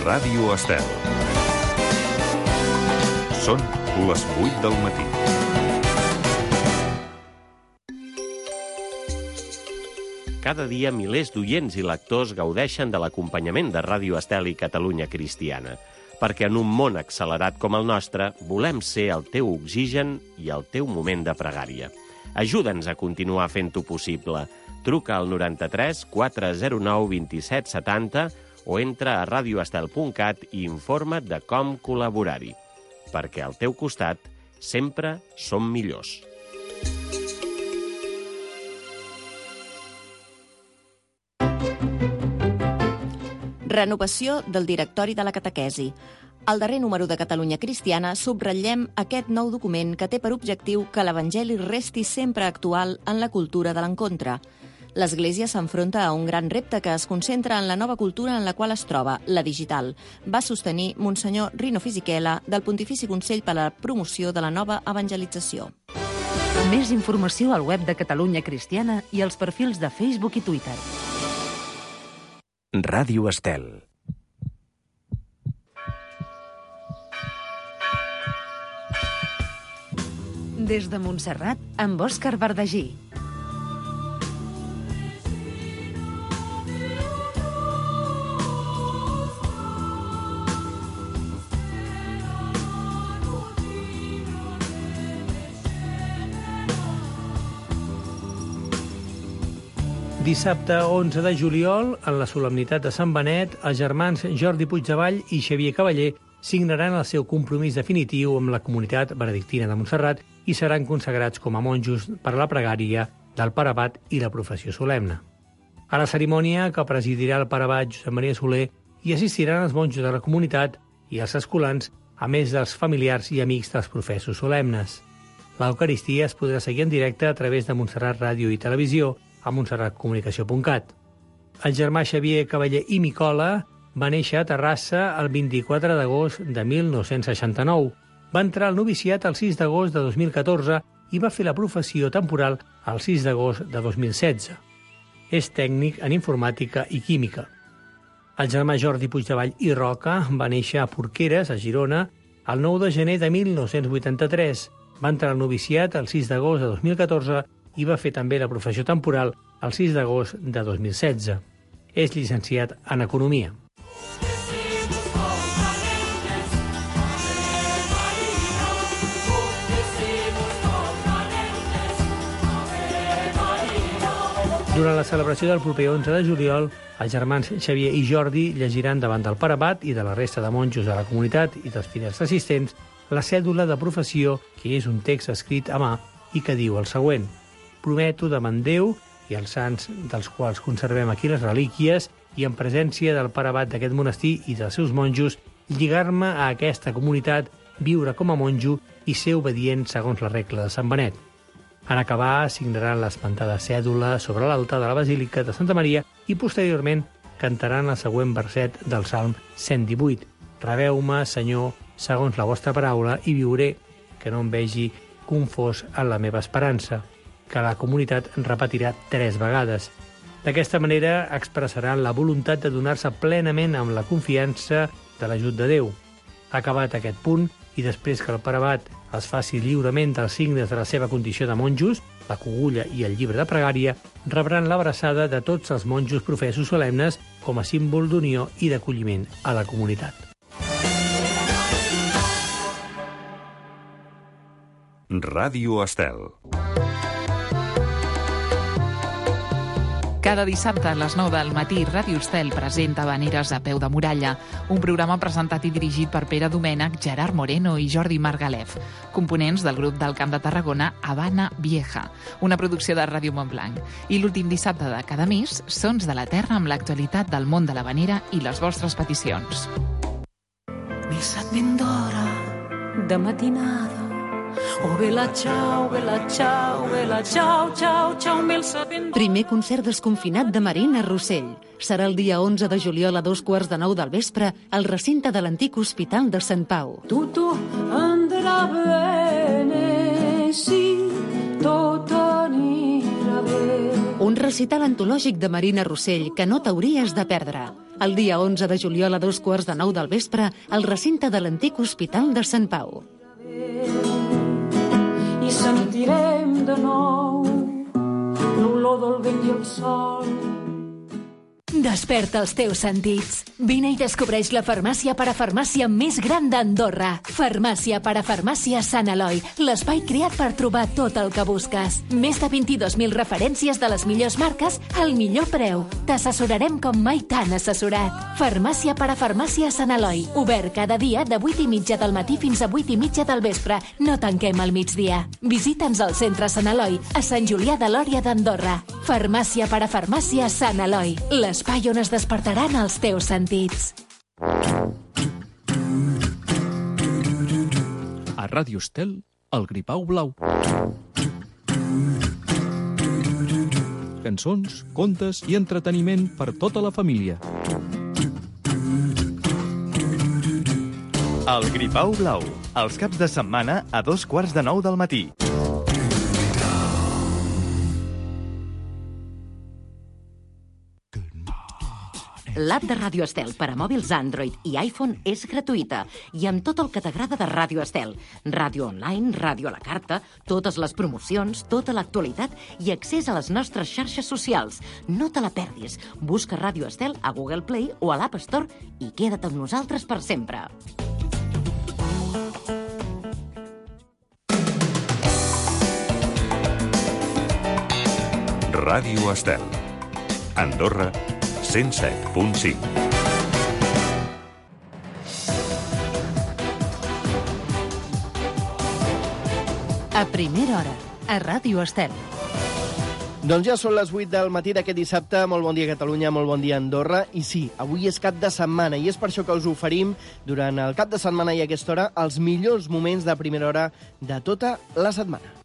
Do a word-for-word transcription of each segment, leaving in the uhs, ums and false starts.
Ràdio Estel. Són les vuit del matí. Cada dia milers d'oients i lectors gaudeixen de l'acompanyament de Ràdio Estel i Catalunya Cristiana, perquè en un món accelerat com el nostre volem ser el teu oxigen i el teu moment de pregària. Ajuda'ns a continuar fent-ho possible. Truca al noranta-tres quatre zero nou vint-i-set setanta o entra a radioestel punt cat i informa't de com col·laborar-hi. Perquè al teu costat sempre som millors. Renovació del directori de la catequesi. Al darrer número de Catalunya Cristiana subratllem aquest nou document que té per objectiu que l'Evangeli resti sempre actual en la cultura de l'encontre. L'Església s'enfronta a un gran repte que es concentra en la nova cultura en la qual es troba, la digital, va sostenir Monsenyor Rino Fisichella del Pontifici Consell per a la Promoció de la Nova Evangelització. Més informació al web de Catalunya Cristiana i als perfils de Facebook i Twitter. Ràdio Estel. Des de Montserrat, amb Òscar Bardagí. Dissabte onze de juliol, en la solemnitat de Sant Benet, els germans Jordi Puigdevall i Xavier Cavaller signaran el seu compromís definitiu amb la comunitat benedictina de Montserrat i seran consagrats com a monjos per a la pregària del Pare Abat i la professió solemne. A la cerimònia, que presidirà el Pare Abat Josep Maria Soler, hi assistiran els monjos de la comunitat i els escolans, a més dels familiars i amics dels professos solemnes. L'Eucaristia es podrà seguir en directe a través de Montserrat Ràdio i Televisió a montserrat comunicació punt cat. El germà Xavier Cavaller i Micola va néixer a Terrassa el vint-i-quatre d'agost de mil nou-cents seixanta-nou. Va entrar al noviciat el sis d'agost de dos mil catorze i va fer la professió temporal el sis d'agost de dos mil setze. És tècnic en informàtica i química. El germà Jordi Puigdevall i Roca va néixer a Porqueres, a Girona, el nou de gener de mil nou-cents vuitanta-tres. Va entrar al noviciat el sis d'agost de dos mil catorze i va fer també la professió temporal el sis d'agost de dos mil setze. És llicenciat en Economia. Durant la celebració del proper onze de juliol, els germans Xavier i Jordi llegiran davant del Pare Abat i de la resta de monjos de la comunitat i dels fidels assistents la cèdula de professió, que és un text escrit a mà i que diu el següent: prometo davant Déu i els sants dels quals conservem aquí les relíquies i en presència del Pare Abat d'aquest monestir i dels seus monjos, lligar-me a aquesta comunitat, viure com a monjo i ser obedient segons la regla de Sant Benet. En acabar, signaran l'esmentada cèdula sobre l'altar de la Basílica de Santa Maria i posteriorment cantaran el següent verset del Salm cent divuit. Rebeu-me, Senyor, segons la vostra paraula i viuré, que no em vegi confós en la meva esperança, que la comunitat repetirà tres vegades. D'aquesta manera expressaran la voluntat de donar-se plenament amb la confiança de l'ajut de Déu. Acabat aquest punt, i després que el Pare Abat es faci lliurement dels signes de la seva condició de monjos, la cogulla i el llibre de pregària, rebran l'abraçada de tots els monjos professos solemnes com a símbol d'unió i d'acolliment a la comunitat. Ràdio Estel. Cada dissabte a les nou del matí, Ràdio Estel presenta Habaneres a peu de muralla, un programa presentat i dirigit per Pere Domènech, Gerard Moreno i Jordi Margalef, components del grup del Camp de Tarragona Habana Vieja, una producció de Ràdio Montblanc. I l'últim dissabte de cada mes, Sons de la Terra amb l'actualitat del món de l'habanera i les vostres peticions. Missa ben d'hora, de matinada. Oh, bella ciao, bella ciao, bella ciao, ciao, ciao, mil sabent... Primer concert desconfinat de Marina Rossell. Serà el dia onze de juliol a dos quarts de nou del vespre al recinte de l'antic Hospital de Sant Pau. Tutto andrà bene, sì, tot anirà bé. Un recital antològic de Marina Rossell que no t'hauries de perdre. el dia onze de juliol a dos quarts de nou del vespre al recinte de l'antic Hospital de Sant Pau. I sentirem de nou l'olor del vent i el sol. Desperta els teus sentits. Vine i descobreix la farmàcia parafarmàcia més gran d'Andorra. Farmàcia parafarmàcia Sant Eloi, l'espai creat per trobar tot el que busques. Més de vint-i-dos mil referències de les millors marques al millor preu. T'assessorarem com mai t'han assessorat. Farmàcia parafarmàcia Sant Eloi, obert cada dia de vuit i mitja del matí fins a vuit i mitja del vespre. No tanquem al migdia. Visita'ns al centre Sant Eloi, a Sant Julià de Lòria d'Andorra. Farmàcia parafarmàcia Sant Eloi, l'espai on es despertaran els teus sentits. A Ràdio Estel, el Gripau Blau. Cançons, contes i entreteniment per tota la família. El Gripau Blau, els caps de setmana a dos quarts de nou del matí. L'app de Ràdio Estel per a mòbils Android i iPhone és gratuïta i amb tot el que t'agrada de Ràdio Estel. Ràdio online, ràdio a la carta, totes les promocions, tota l'actualitat i accés a les nostres xarxes socials. No te la perdis. Busca Ràdio Estel a Google Play o a l'App Store i queda't amb nosaltres per sempre. Ràdio Estel. Andorra, cent set punt cinc. A primera hora, a Ràdio Estel. Doncs ja són les vuit del matí d'aquest dissabte. Molt bon dia, Catalunya, molt bon dia, Andorra. I sí, avui és cap de setmana i és per això que us oferim, durant el cap de setmana i a aquesta hora, els millors moments de primera hora de tota la setmana.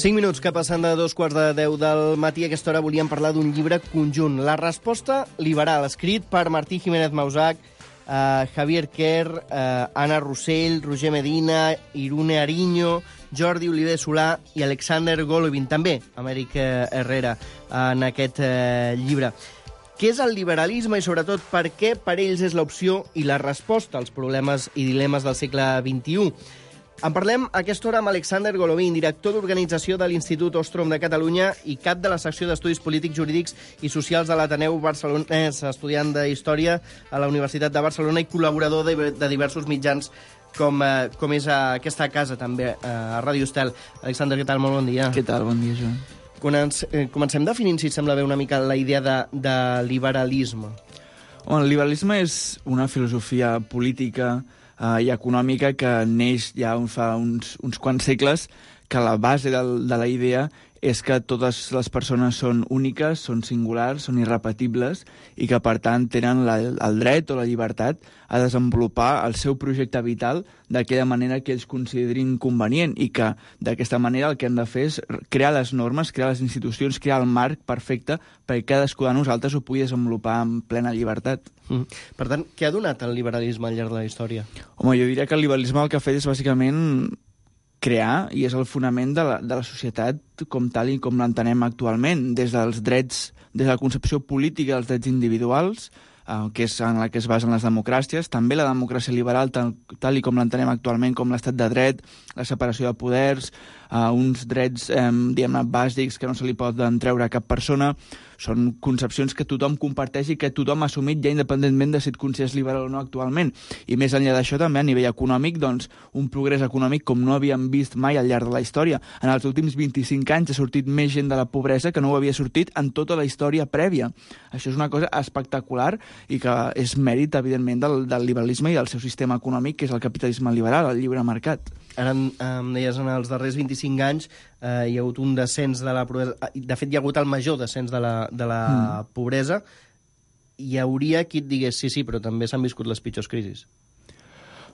Cinc minuts que passen de dos quarts de deu del matí. A aquesta hora volíem parlar d'un llibre conjunt. La resposta liberal, escrit per Martí Jiménez Mausac, eh, Javier Kerr, eh, Anna Rossell, Roger Medina, Irune Ariño, Jordi Oliver Solà i Alexander Golovin, també Amèric eh, Herrera, en aquest eh, llibre. Què és el liberalisme i, sobretot, per què per ells és l'opció i la resposta als problemes i dilemes del segle vint-i-u? En parlem a aquesta hora amb Alexander Golovin, director d'organització de l'Institut Ostrom de Catalunya i cap de la secció d'Estudis Polítics, Jurídics i Socials de l'Ateneu Barcelonès, estudiant de Història a la Universitat de Barcelona i col·laborador de, de diversos mitjans com, eh, com és a aquesta casa, també, a Ràdio Estel. Alexander, què tal? Molt bon dia. Què tal? Bon dia, Joan. Comencem, eh, comencem definint, si et sembla bé, una mica la idea de, de liberalisme. Bueno, el liberalisme és una filosofia política Uh, i econòmica que neix ja fa uns, uns quants segles, que la base del, de la idea és que totes les persones són úniques, són singulars, són irrepetibles i que, per tant, tenen la, el dret o la llibertat a desenvolupar el seu projecte vital d'aquella manera que ells considerin convenient i que, d'aquesta manera, el que hem de fer és crear les normes, crear les institucions, crear el marc perfecte perquè cadascú de nosaltres ho pugui desenvolupar amb plena llibertat. Mm. Per tant, què ha donat el liberalisme al llarg de la història? Home, jo diria que el liberalisme el que ha fet és, bàsicament, crear, i és el fonament de la, de la societat com tal i com l'entenem actualment, des dels drets, des de la concepció política dels drets individuals, eh, que és en la que es basen les democràcies, també la democràcia liberal, tal, tal i com l'entenem actualment, com l'estat de dret, la separació de poders, eh, uns drets, eh, diguem-ne, bàsics que no se li poden treure a cap persona. Són concepcions que tothom comparteix i que tothom ha assumit ja independentment de si et consideres liberal o no actualment. I més enllà d'això, també a nivell econòmic, doncs, un progrés econòmic com no havíem vist mai al llarg de la història. En els últims vint-i-cinc anys ha sortit més gent de la pobresa que no ho havia sortit en tota la història prèvia. Això és una cosa espectacular i que és mèrit, evidentment, del, del liberalisme i del seu sistema econòmic, que és el capitalisme liberal, el lliure mercat. Ara em deies, en els darrers vint-i-cinc anys eh, hi ha hagut un descens de la pobresa. De fet, hi ha hagut el major descens de la, de la mm. pobresa. Hi hauria qui et digués, sí, sí, però també s'han viscut les pitjors crisis.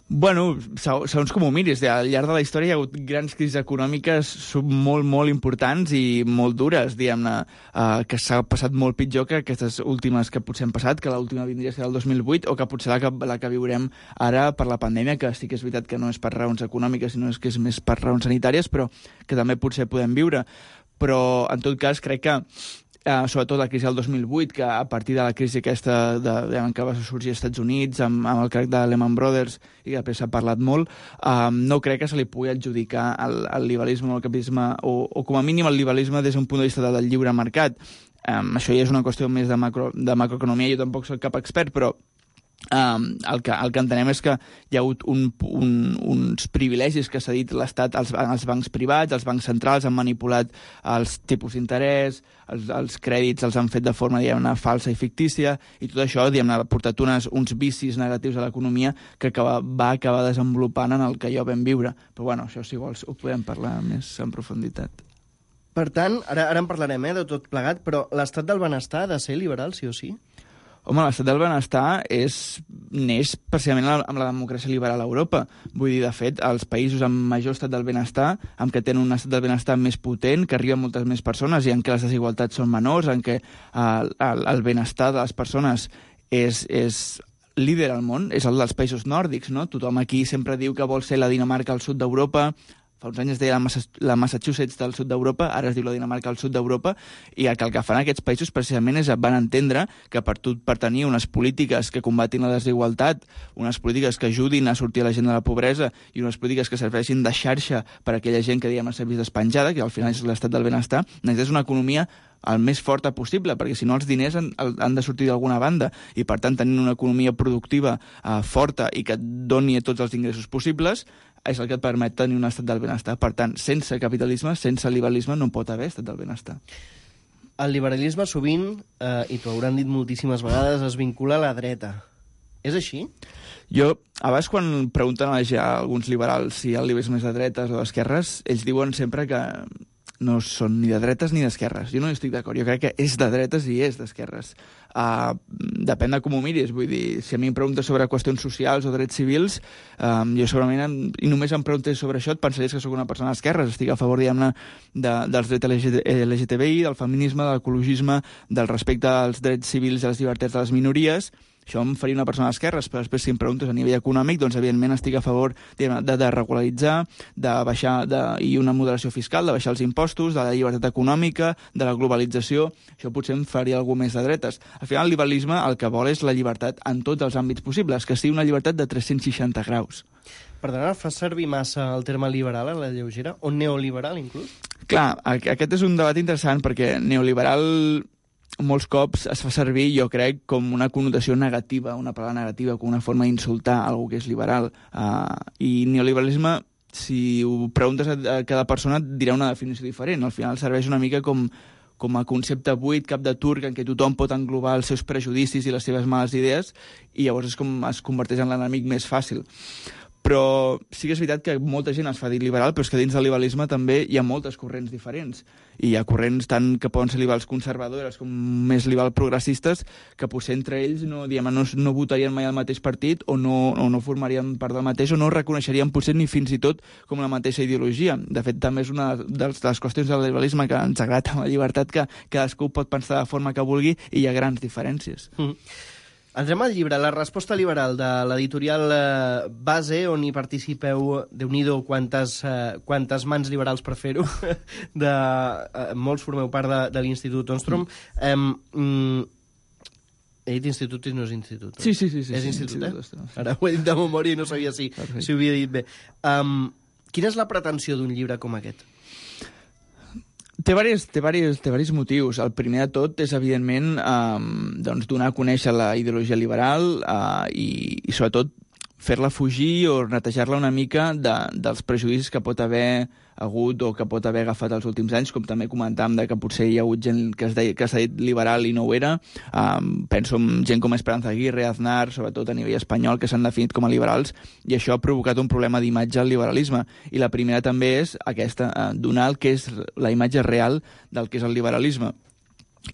Bueno, segons com ho miris, al llarg de la història hi ha hagut grans crisis econòmiques molt, molt importants i molt dures, diguem-ne, eh, que s'ha passat molt pitjor que aquestes últimes que potser han passat, que l'última vindria a ser el dos mil vuit, o que potser la que, la que viurem ara per la pandèmia, que sí que és veritat que no és per raons econòmiques, sinó que és més per raons sanitàries, però que també potser podem viure. Però, en tot cas, crec que Uh, sobretot la crisi del dos mil vuit, que a partir de la crisi aquesta de, de, que va sorgir als Estats Units amb, amb el crac de Lehman Brothers i que després s'ha parlat molt, uh, no crec que se li pugui adjudicar el, el liberalisme o el capitalisme, o, o com a mínim el liberalisme des d'un punt de vista del lliure mercat. Um, això ja és una qüestió més de, macro, de macroeconomia, jo tampoc soc cap expert, però Um, el, que, el que entenem és que hi ha hagut un, un, uns privilegis que s'ha dit l'Estat als, als bancs privats, els bancs centrals han manipulat els tipus d'interès, els, els crèdits els han fet de forma, diguem-ne, falsa i fictícia, i tot això, diguem-ne, ha portat unes, uns vicis negatius a l'economia que acaba, va acabar desenvolupant en el que jo vam viure. Però bueno, això si vols ho podem parlar més en profunditat. Per tant, ara, ara en parlarem eh, de tot plegat, però l'estat del benestar ha de ser liberal, sí o sí? Home, l'estat del benestar és, neix precisament amb la democràcia liberal a Europa. Vull dir, de fet, els països amb major estat del benestar, amb què tenen un estat del benestar més potent, que arriba a moltes més persones i en què les desigualtats són menors, en què el, el, el benestar de les persones és, és líder al món, és el dels països nòrdics, no? Tothom aquí sempre diu que vol ser la Dinamarca al sud d'Europa. Fa uns anys es deia la Massachusetts del sud d'Europa, ara es diu la Dinamarca al sud d'Europa, i el que, el que fan aquests països precisament és van entendre que per, tot, per tenir unes polítiques que combatin la desigualtat, unes polítiques que ajudin a sortir a la gent de la pobresa i unes polítiques que serveixin de xarxa per a aquella gent que diguem s'ha vist despenjada, que al final és l'estat del benestar, necessites una economia el més forta possible, perquè si no els diners han, han de sortir d'alguna banda, i per tant tenint una economia productiva eh, forta i que et doni tots els ingressos possibles és el que et permet tenir un estat del benestar. Per tant, sense capitalisme, sense liberalisme, no pot haver estat del benestar. El liberalisme sovint, eh, i t'ho hauran dit moltíssimes vegades, es vincula a la dreta. És així? Jo, a vegades quan pregunten a alguns liberals si el liberalisme és de dretes o d'esquerres, ells diuen sempre que no són ni de dretes ni d'esquerres. Jo no hi estic d'acord. Jo crec que és de dretes i és d'esquerres. Uh, depèn de com ho miris. Vull dir, si a mi em preguntes sobre qüestions socials o drets civils, um, jo segurament, em, i només em preguntés sobre això, et pensaries que sóc una persona d'esquerres. Estic a favor, diguem-ne, de, dels drets L G T B I, del feminisme, de l'ecologisme, del respecte als drets civils i a les llibertats de les minories. Això em faria una persona d'esquerres, però després si em preguntes a nivell econòmic, doncs evidentment estic a favor de, de regularitzar, de baixar de, i una moderació fiscal, de baixar els impostos, de la llibertat econòmica, de la globalització. Això potser em faria alguna més de dretes. Al final el liberalisme el que vol és la llibertat en tots els àmbits possibles, que sigui una llibertat de tres-cents seixanta graus. Perdona, fas servir massa el terme liberal a la lleugera? O neoliberal, inclús? Clar, aquest és un debat interessant perquè neoliberal molts cops es fa servir, jo crec, com una connotació negativa, una paraula negativa, com una forma d'insultar algú que és liberal. Uh, I neoliberalisme, si ho preguntes a, a cada persona, et dirà una definició diferent. Al final serveix una mica com, com a concepte buit, cap de turc, en què tothom pot englobar els seus prejudicis i les seves males idees, i llavors és com es converteix en l'enemic més fàcil. Però sí que és veritat que molta gent es fa dir liberal, però és que dins del liberalisme també hi ha moltes corrents diferents. I hi ha corrents tant que poden ser liberals conservadores com més liberal progressistes, que potser entre ells no, diguem, no, no votarien mai al mateix partit o no, o no formarien part del mateix o no reconeixerien potser ni fins i tot com la mateixa ideologia. De fet, també és una de les qüestions del liberalisme que ens agrada amb la llibertat, que cadascú pot pensar de forma que vulgui i hi ha grans diferències. Mm. Entrem al llibre, La resposta liberal, de l'editorial eh, Base, on hi participeu, Déu-n'hi-do, quantes, eh, quantes mans liberals per fer-ho, de, eh, molts formeu part de, de l'Institut Ostrom. Mm. Eh, he dit institut i no és institut. No? Sí, sí, sí. sí és sí, institut, sí, eh? sí, sí. Ara ho he dit de memòria i no sabia si, si ho havia dit bé. Um, quina és la pretensió d'un llibre com aquest? Té diversos, té, diversos, té diversos motius. El primer de tot és, evidentment, eh, doncs, donar a conèixer la ideologia liberal eh, i, i, sobretot, fer-la fugir o netejar-la una mica de, dels prejudicis que pot haver hagut o que pot haver agafat els últims anys, com també comentàvem de que potser hi ha hagut gent que s'ha dit liberal i no ho era. Um, penso en gent com Esperanza Aguirre, Aznar, sobretot a nivell espanyol, que s'han definit com a liberals, i això ha provocat un problema d'imatge al liberalisme. I la primera també és aquesta, uh, donar el que és la imatge real del que és el liberalisme.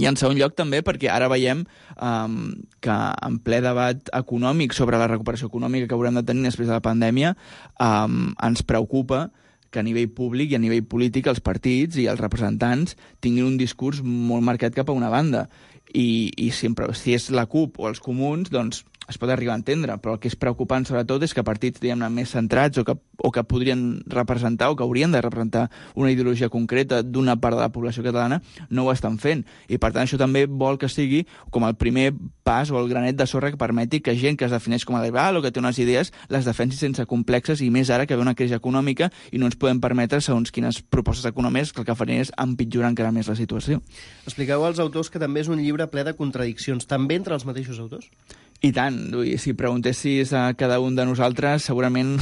I en segon lloc també perquè ara veiem um, que en ple debat econòmic sobre la recuperació econòmica que haurem de tenir després de la pandèmia um, ens preocupa que a nivell públic i a nivell polític els partits i els representants tinguin un discurs molt marcat cap a una banda. I, i sempre, si és la CUP o els comuns, doncs es pot arribar a entendre, però el que és preocupant sobretot és que partits, diguem-ne, més centrats o que, o que podrien representar o que haurien de representar una ideologia concreta d'una part de la població catalana no ho estan fent. I per tant això també vol que sigui com el primer pas o el granet de sorra que permeti que gent que es defineix com a liberal o que té unes idees les defensi sense complexes, i més ara que ve una crisi econòmica i no ens podem permetre segons quines propostes econòmiques que el que farien és empitjorar encara més la situació. Expliqueu als autors que també és un llibre ple de contradiccions, també entre els mateixos autors? I tant, si preguntessis a cada un de nosaltres, segurament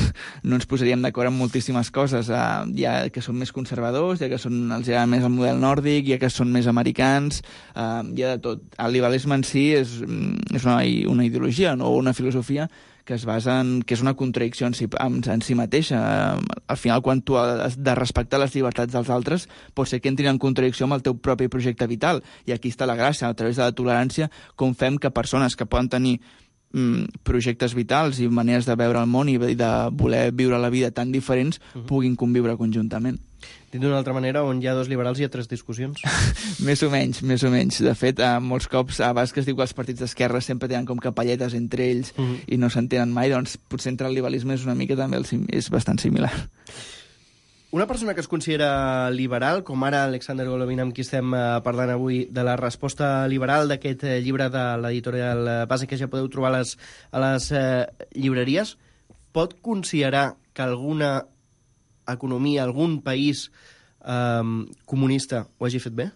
no ens posaríem d'acord en moltíssimes coses. Hi ha que són més conservadors, hi ha que són, els agrada més el model nòrdic, hi ha que són més americans, hi ha de tot. El liberalisme en si és, és una, una ideologia, no? O una filosofia que es basa en que és una contradicció en si, en, en si mateixa. Al final, quan tu has de respectar les llibertats dels altres, pot ser que entrin en contradicció amb el teu propi projecte vital. I aquí està la gràcia, a través de la tolerància, com fem que persones que poden tenir mm, projectes vitals i maneres de veure el món i de voler viure la vida tan diferents uh-huh. puguin conviure conjuntament. Dit d'una altra manera, on hi ha dos liberals hi ha tres discussions. Més o menys, més o menys. De fet, eh, molts cops, a vegades que es diu que els partits d'esquerra sempre tenen com capelletes entre ells uh -huh. i no s'entenen mai, doncs potser entre el liberalisme és una mica també el, és bastant similar. Una persona que es considera liberal, com ara Alexander Golovin, amb qui estem eh, parlant avui, de la resposta liberal d'aquest eh, llibre de l'editorial Base, que ja podeu trobar a les, a les eh, llibreries, pot considerar que alguna economia, algun país eh, comunista ho hagi fet bé?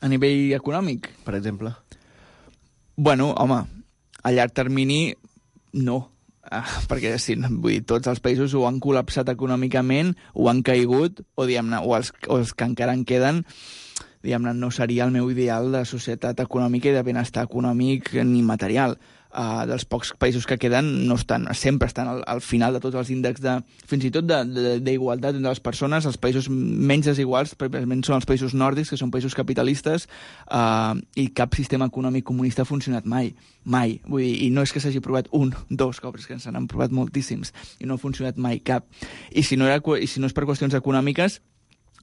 A nivell econòmic? Per exemple. Bueno, home, a llarg termini no. Ah, perquè sí, vull dir, tots els països ho han col·lapsat econòmicament, ho han caigut, o, diguem-ne, o, els, o els que encara en queden, diguem-ne, no seria el meu ideal de societat econòmica i de benestar econòmic ni material. Uh, dels pocs països que queden no estan, sempre estan al, al final de tots els índexs de, fins i tot d'igualtat entre les persones. Els països menys desiguals precisament són els països nòrdics, que són països capitalistes, uh, i cap sistema econòmic comunista ha funcionat mai, mai. Vull dir, i no és que s'hagi provat un, dos cops, que se n'han provat moltíssims, i no ha funcionat mai cap. I si no, era, i si no és per qüestions econòmiques,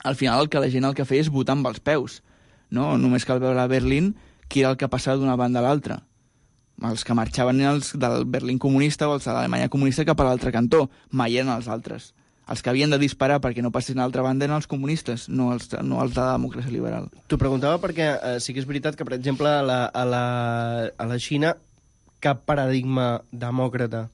al final el que la gent el que feia és votar amb els peus, no? Només cal veure a Berlín qui era el que passava d'una banda a l'altra. Els que marxaven eren els del Berlín comunista o els de l'Alemanya comunista cap a l'altre cantó, mai eren els altres. Els que havien de disparar perquè no passessin a l'altra banda eren els comunistes, no els, no els de la democràcia liberal. T'ho preguntava perquè eh, sí que és veritat que, per exemple, a la, a la, a la Xina cap paradigma demòcrata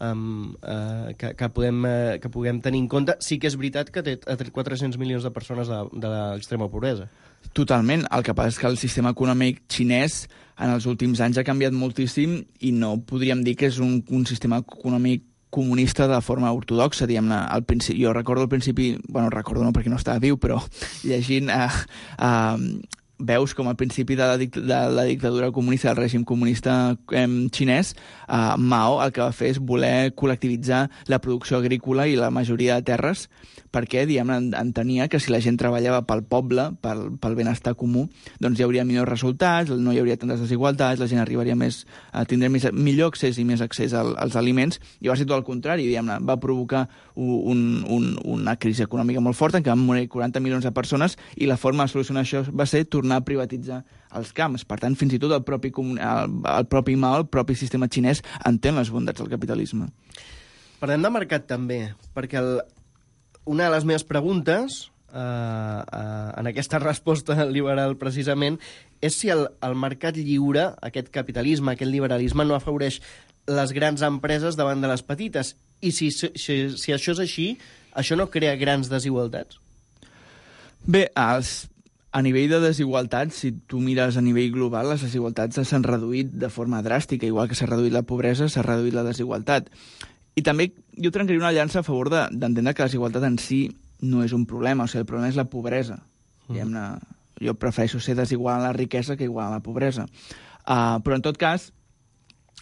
um, uh, que, que, podem, uh, que puguem tenir en compte. Sí que és veritat que té, té quatre-cents milions de persones de, de l'extrema pobresa. Totalment. El que passa és que el sistema econòmic xinès en els últims anys ha canviat moltíssim i no podríem dir que és un, un sistema econòmic comunista de forma ortodoxa, diguem-ne. Al principi, jo recordo al principi, bueno, recordo no perquè no estava viu, però llegint eh, eh, veus com al principi de la, dict de la dictadura comunista, del règim comunista eh, xinès, eh, Mao el que va fer és voler col·lectivitzar la producció agrícola i la majoria de terres, perquè, diguem-ne, entenia que si la gent treballava pel poble, pel, pel benestar comú, doncs hi hauria millors resultats, no hi hauria tantes desigualtats, la gent arribaria més a tindre més, millor accés i més accés al, als aliments, i va ser tot el contrari, diguem-ne, va provocar un, un, una crisi econòmica molt forta, en què van morir quaranta milions de persones, i la forma de solucionar això va ser tornar a privatitzar els camps. Per tant, fins i tot el propi, el, el propi Mao, el propi sistema xinès, entén les bondats del capitalisme. Parlem de mercat també, perquè el una de les meves preguntes, eh, eh, en aquesta resposta liberal precisament, és si el, el mercat lliure, aquest capitalisme, aquest liberalisme, no afavoreix les grans empreses davant de les petites. I si, si, si això és així, això no crea grans desigualtats? Bé, els, a nivell de desigualtats, si tu mires a nivell global, les desigualtats s'han reduït de forma dràstica, igual que s'ha reduït la pobresa, s'ha reduït la desigualtat. I també jo trencaria una llança a favor d'entendre de, que la desigualtat en si no és un problema, o sigui, el problema és la pobresa. Mm. Jo prefereixo ser desigual en la riquesa que igual en la pobresa. Uh, però, en tot cas,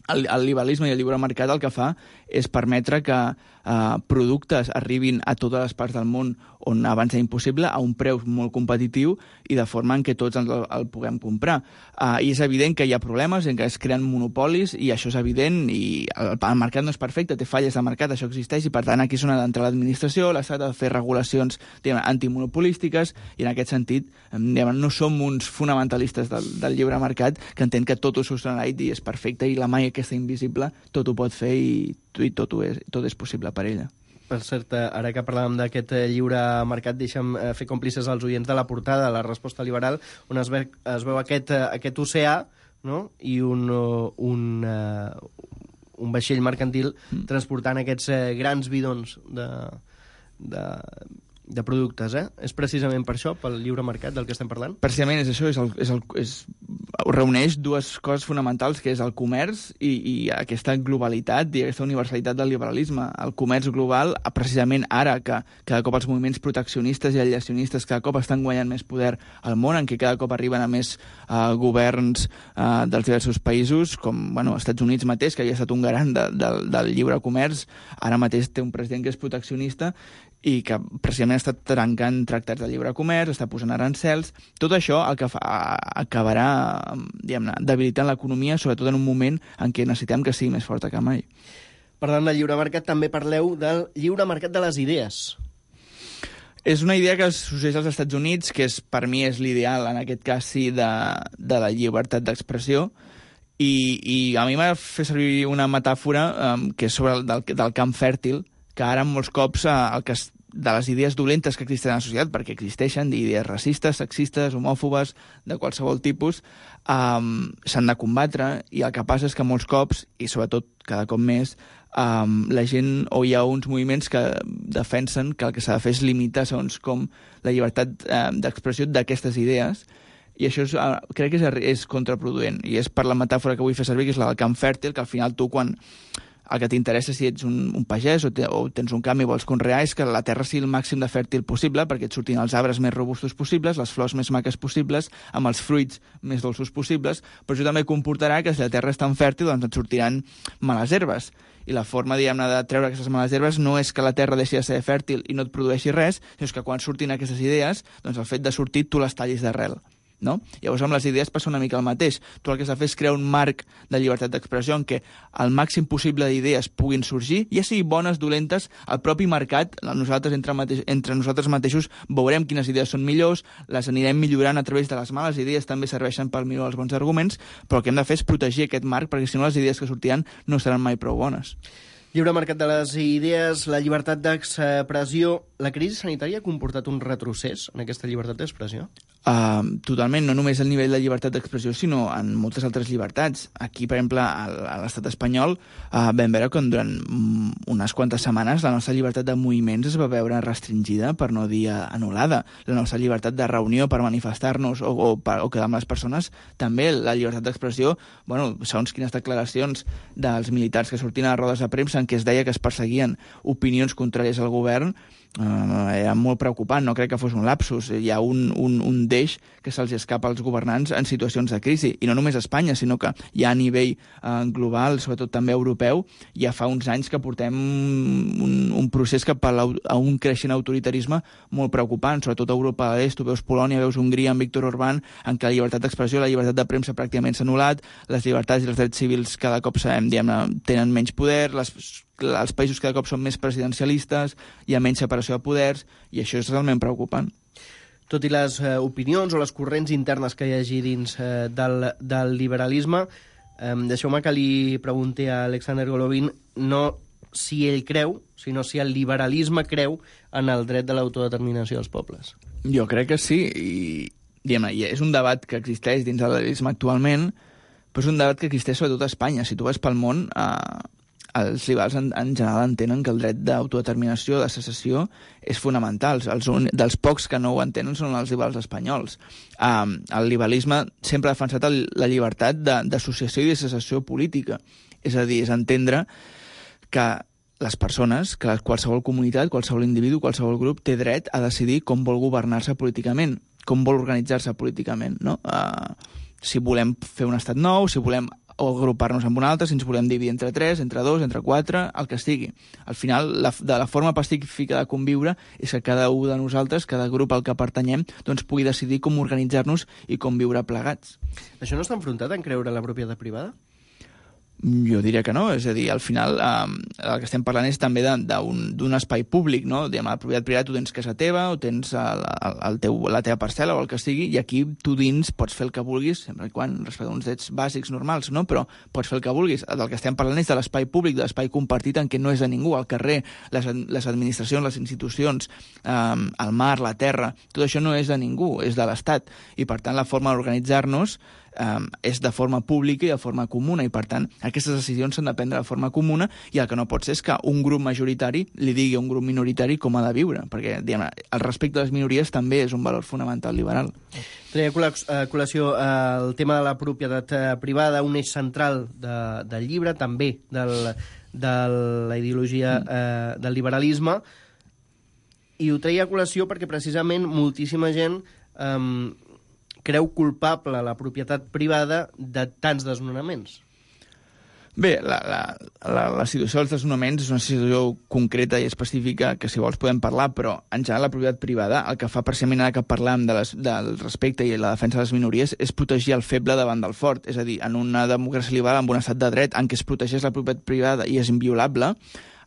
el, el liberalisme i el lliure mercat el que fa és permetre que eh, productes arribin a totes les parts del món on abans era impossible, a un preu molt competitiu i de forma en què tots el, el puguem comprar. Uh, I és evident que hi ha problemes en què es creen monopolis, i això és evident, i el, el mercat no és perfecte, té falles de mercat, això existeix, i per tant aquí és on ha d'entrar l'administració, l'Estat ha de fer regulacions diguem, antimonopolístiques, i en aquest sentit diguem, no som uns fonamentalistes del, del lliure mercat que entén que tot ho solucionarà i és perfecte, i la mai aquesta invisible tot ho pot fer i, i tot, ho és, tot és possible per ella. Per cert, ara que parlàvem d'aquest lliure mercat, deixa'm fer còmplices als oients de la portada, la resposta liberal, on es, ve, es veu aquest, aquest oceà, no? I un, un, un vaixell mercantil mm. transportant aquests grans bidons de, de, de productes. Eh? És precisament per això, pel lliure mercat del que estem parlant? Precisament és això, és el, és el, és, reuneix dues coses fonamentals, que és el comerç i, i aquesta globalitat i aquesta universalitat del liberalisme. El comerç global, precisament ara que cada cop els moviments proteccionistes i alleacionistes cada cop estan guanyant més poder al món, en què cada cop arriben a més uh, governs uh, dels diversos països, com bueno, Estats Units mateix, que havia estat un garant de, de, del lliure comerç, ara mateix té un president que és proteccionista i que precisament està trencant tractats de lliure comerç, està posant arancels. Tot això el que fa, acabarà diguem-ne, debilitant l'economia, sobretot en un moment en què necessitem que sigui més forta que mai. Parlant del lliure mercat, també parleu del lliure mercat de les idees. És una idea que succeeix als Estats Units, que és, per mi és l'ideal, en aquest cas sí, de, de la llibertat d'expressió, i, i a mi m'ha fet servir una metàfora um, que és sobre el del, del camp fèrtil, que ara molts cops eh, el que es, de les idees dolentes que existeixen a la societat, perquè existeixen idees racistes, sexistes, homòfobes, de qualsevol tipus, um, s'han de combatre, i el que passa és que molts cops, i sobretot cada cop més, um, la gent, o hi ha uns moviments que defensen que el que s'ha de fer és limitar segons com la llibertat um, d'expressió d'aquestes idees, i això és, uh, crec que és, és contraproduent, i és per la metàfora que vull fer servir, que és la del camp fèrtil, que al final tu quan el que t'interessa si ets un, un pagès o, te, o tens un camp i vols conrear és que la terra sigui el màxim de fèrtil possible perquè et surtin els arbres més robustos possibles, les flors més maques possibles, amb els fruits més dolços possibles, però això també comportarà que si la terra és tan fèrtil doncs et sortiran males herbes. I la forma, diguem-ne, de treure aquestes males herbes no és que la terra deixi de ser fèrtil i no et produeixi res, sinó que quan surtin aquestes idees, doncs el fet de sortir tu les tallis d'arrel. No? Llavors amb les idees passa una mica el mateix. Tu el que s'ha de fer és crear un marc de llibertat d'expressió en què el màxim possible d'idees puguin sorgir, ja sigui bones, dolentes, el propi mercat, nosaltres entre, mateix, entre nosaltres mateixos veurem quines idees són millors, les anirem millorant a través de les males idees, també serveixen per millorar els bons arguments, però el que hem de fer és protegir aquest marc perquè si no les idees que sortiran no seran mai prou bones. Lliure mercat de les idees, la llibertat d'expressió. La crisi sanitària ha comportat un retrocés en aquesta llibertat d'expressió? Uh, totalment, no només el nivell de llibertat d'expressió, sinó en moltes altres llibertats. Aquí, per exemple, a l'estat espanyol uh, vam veure que durant unes quantes setmanes la nostra llibertat de moviments es va veure restringida, per no dir anul·lada. La nostra llibertat de reunió per manifestar-nos o, o, per, o quedar amb les persones, també la llibertat d'expressió, bueno, segons quines declaracions dels militars que sortien a rodes de premsa en què es deia que es perseguien opinions contràries al govern, Uh, era molt preocupant, no crec que fos un lapsus. Hi ha un, un, un deix que se'ls escapa als governants en situacions de crisi, i no només a Espanya, sinó que ja a nivell uh, global, sobretot també europeu, ja fa uns anys que portem un, un procés cap a, a un creixent autoritarisme molt preocupant, sobretot a Europa de l'Est. Tu veus Polònia, veus Hongria amb Viktor Orbán, en què la llibertat d'expressió, la llibertat de premsa pràcticament s'ha anul·lat, les llibertats i els drets civils cada cop sabem, diguem, tenen menys poder, les els països cada cop són més presidencialistes, hi ha menys separació de poders, i això és realment preocupant. Tot i les eh, opinions o les corrents internes que hi hagi dins eh, del, del liberalisme, eh, deixeu-me que li pregunti a Alexander Golovin no si ell creu, sinó si el liberalisme creu en el dret de l'autodeterminació dels pobles. Jo crec que sí, i diguem, és un debat que existeix dins del liberalisme actualment, però és un debat que existeix sobretot a Espanya. Si tu vas pel món, eh, els liberals en, en general entenen que el dret d'autodeterminació, de secessió, és fonamental. Els un, dels pocs que no ho entenen són els liberals espanyols. Um, el liberalisme sempre ha defensat el, la llibertat d'associació i de secessió política. És a dir, és entendre que les persones, que qualsevol comunitat, qualsevol individu, qualsevol grup té dret a decidir com vol governar-se políticament, com vol organitzar-se políticament, no? Uh, si volem fer un estat nou, si volem o agrupar-nos amb un altre, si ens volem dividir entre tres, entre dos, entre quatre, el que sigui. Al final, la, de la forma pacífica de conviure és que cada un de nosaltres, cada grup al que pertanyem, doncs pugui decidir com organitzar-nos i com viure plegats. Això no està enfrontat en creure la propietat privada? Jo diria que no, és a dir, al final eh, el que estem parlant és també d'un espai públic, no? Diguem, la propietat privada tu tens casa teva o tens el, el, el teu, la teva parcel·la o el que sigui, i aquí tu dins pots fer el que vulguis, sempre quan respecte a uns drets bàsics normals, no? Però pots fer el que vulguis. Del que estem parlant és de l'espai públic, de l'espai compartit en què no és de ningú, al carrer, les, les administracions, les institucions, eh, el mar, la terra, tot això no és de ningú, és de l'Estat, i per tant la forma d'organitzar-nos Um, és de forma pública i de forma comuna, i per tant aquestes decisions s'han de prendre de forma comuna, i el que no pot ser és que un grup majoritari li digui a un grup minoritari com ha de viure, perquè diguem, el respecte a les minories també és un valor fonamental liberal. Treia a col·lació el tema de la propietat privada, un eix central de, del llibre, també del, de la ideologia mm. eh, del liberalisme, i ho treia a col·lació perquè precisament moltíssima gent eh, creu culpable la propietat privada de tants desnonaments. Bé, la, la, la, la situació dels desnonaments és una situació concreta i específica que, si vols, podem parlar, però en general la propietat privada el que fa precisament ara que parlem de les, del respecte i la defensa de les minories és protegir el feble davant del fort. És a dir, en una democràcia liberal, en un estat de dret en què es protegeix la propietat privada i és inviolable,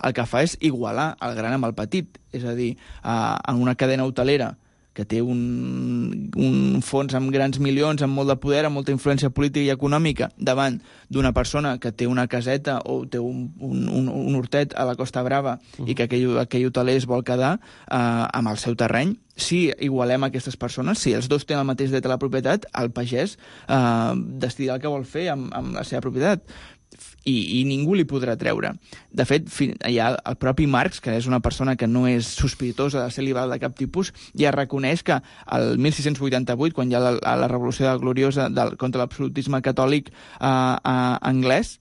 el que fa és igualar el gran amb el petit. És a dir, en una cadena hotelera que té un, un fons amb grans milions, amb molt de poder, amb molta influència política i econòmica, davant d'una persona que té una caseta o té un, un, un, un hortet a la Costa Brava uh-huh. i que aquell, aquell hoteler es vol quedar eh, amb el seu terreny, si igualem aquestes persones, si els dos tenen el mateix dret a la propietat, el pagès eh, decidirà el que vol fer amb, amb la seva propietat. I, i ningú li podrà treure. De fet, hi ha el propi Marx, que és una persona que no és sospitosa de ser liberal de cap tipus, ja reconeix que el mil sis-cents vuitanta-vuit, quan hi ha la, la revolució gloriosa del, contra l'absolutisme catòlic eh, eh, anglès,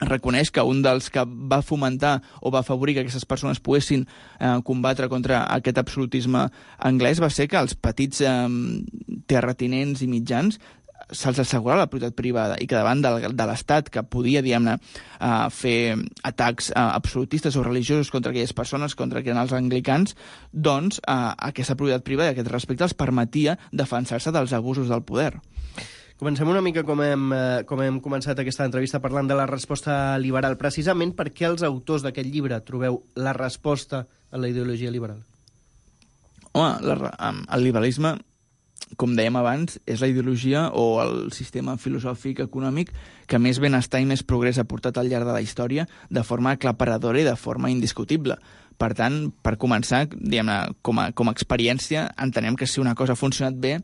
reconeix que un dels que va fomentar o va afavorir que aquestes persones poguessin eh, combatre contra aquest absolutisme anglès va ser que els petits eh, terratinents i mitjans se'ls assegurava la propietat privada, i que davant del, de l'Estat, que podia, diguem-ne, uh, fer atacs uh, absolutistes o religiosos contra aquelles persones, contra que eren els anglicans, doncs uh, aquesta propietat privada, aquest respecte, els permetia defensar-se dels abusos del poder. Comencem una mica com hem, eh, com hem començat aquesta entrevista parlant de la resposta liberal. Precisament per què els autors d'aquest llibre trobeu la resposta a la ideologia liberal? Home, la, el liberalisme, com dèiem abans, és la ideologia o el sistema filosòfic econòmic que més benestar i més progrés ha portat al llarg de la història de forma aclaparadora i de forma indiscutible. Per tant, per començar, diguem-ne, com a, com a experiència, entenem que si una cosa ha funcionat bé,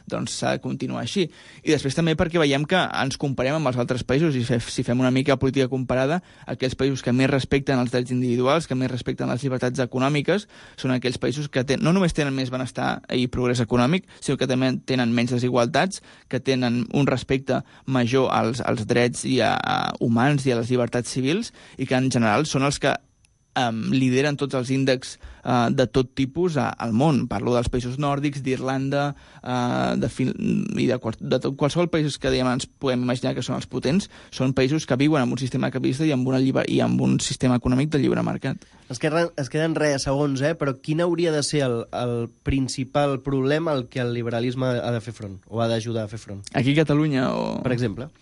doncs s'ha de continuar així. I després també perquè veiem que ens comparem amb els altres països, i si fem una mica política comparada, aquells països que més respecten els drets individuals, que més respecten les llibertats econòmiques, són aquells països que ten, no només tenen més benestar i progrés econòmic, sinó que també tenen menys desigualtats, que tenen un respecte major als, als drets i a, a humans i a les llibertats civils, i que en general són els que Um, lideren tots els índexs uh, de tot tipus uh, al món. Parlo dels països nòrdics, d'Irlanda, uh, de fin... i de, qual... de tot, qualsevol països que diguem, ens podem imaginar que són els potents, són països que viuen amb un sistema capitalista i amb, una lliber... i amb un sistema econòmic de lliure mercat. Es queden, es queden res segons, eh? Però quin hauria de ser el, el principal problema al que el liberalisme ha de fer front, o ha d'ajudar a fer front? Aquí a Catalunya o... Per exemple?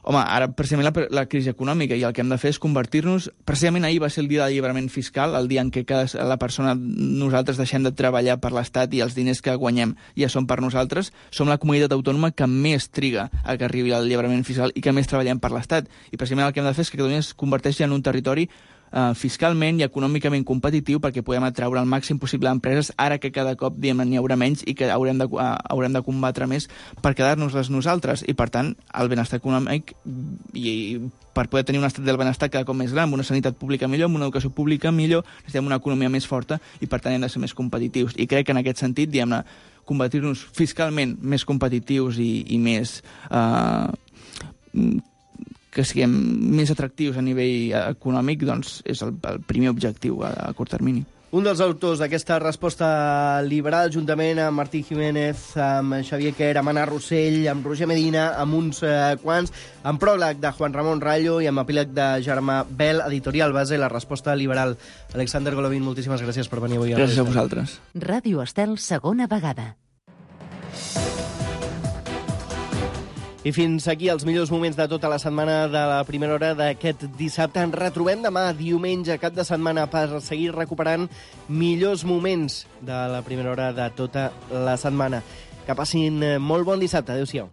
Home, ara precisament la, la crisi econòmica, i el que hem de fer és convertir-nos... Precisament ahir va ser el dia del alliberament fiscal, el dia en què cada, la persona, nosaltres deixem de treballar per l'Estat i els diners que guanyem ja són per nosaltres. Som la comunitat autònoma que més triga a que arribi l'alliberament fiscal i que més treballem per l'Estat. I precisament el que hem de fer és que Catalunya es converteixi en un territori Uh, fiscalment i econòmicament competitiu perquè podem atraure el màxim possible d'empreses ara que cada cop n'hi haurà menys i que haurem de, uh, haurem de combatre més per quedar-nos-les nosaltres, i per tant el benestar econòmic i, i per poder tenir un estat del benestar cada cop més gran, amb una sanitat pública millor, amb una educació pública millor, necessitem una economia més forta i per tant hem de ser més competitius, i crec que en aquest sentit, diguem-ne, convertir-nos fiscalment més competitius i, i més uh, que siguem més atractius a nivell econòmic, doncs és el, el primer objectiu a, a curt termini. Un dels autors d'aquesta resposta liberal, juntament amb Martí Jiménez, amb Xavier Quer, amb Anna Rossell, amb Roger Medina, amb uns eh, quants, amb pròleg de Juan Ramon Rayo i amb epíleg de Germà Bel, editorial base, la resposta liberal. Alexander Golovin, moltíssimes gràcies per venir avui. Gràcies a vosaltres. Ràdio Estel, segona vegada. I fins aquí els millors moments de tota la setmana de la primera hora d'aquest dissabte. Ens retrobem demà, diumenge, cap de setmana, per seguir recuperant millors moments de la primera hora de tota la setmana. Que passin molt bon dissabte. Adéu-siau.